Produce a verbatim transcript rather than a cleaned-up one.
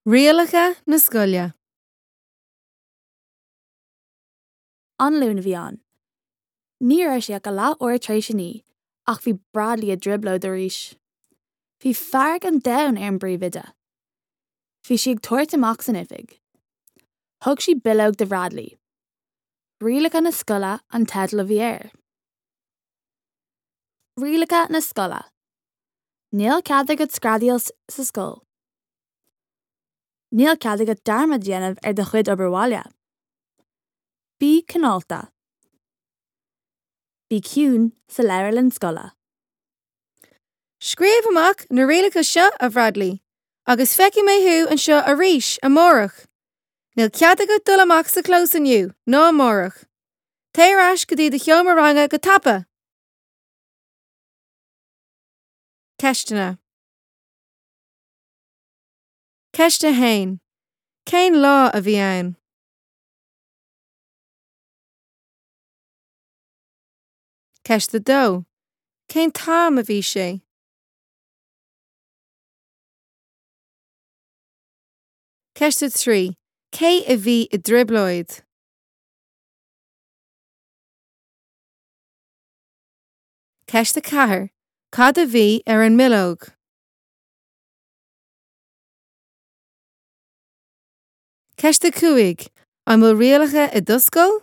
Rialacha na scoile. An Luan a bhí ann. Ní raibh sé ach a leathuair tar éis a naoi ach bhí Bradley i dtrioblóid arís. Bhí fearg an domhain ar an bpríomhoide. Bhí sí ag tabhairt amach san oifig. Thug sí bileog do Bhradley. Rialacha na scoile an teideal a bhí air. Rialacha na scoile. Níl cead agat screadaíl sa scoil. Níl cead agat dearmad a dhéanamh ar do chuid obair bhaile. Bí cineálta. Bí ciúin sa leabharlann scoile. Scríobh amach na rialacha seo a Bhradley, agus feicfidh mé thú anseo arís amárach. Níl cead agat dul amach sa chlós inniu ná amárach. Téir ar ais go dtí do sheomra ranga go tapa. Ceisteanna. Ceist a haon. Cén lá a bhí ann? Ceist a dó. Cén t-am a bhí sé? Ceist a trí. Cé a bhí i dtrioblóid? Ceist a ceathair. Cad a bhí ar an mbileog? Ceist a cúig. An bhfuil rialacha i do scoil?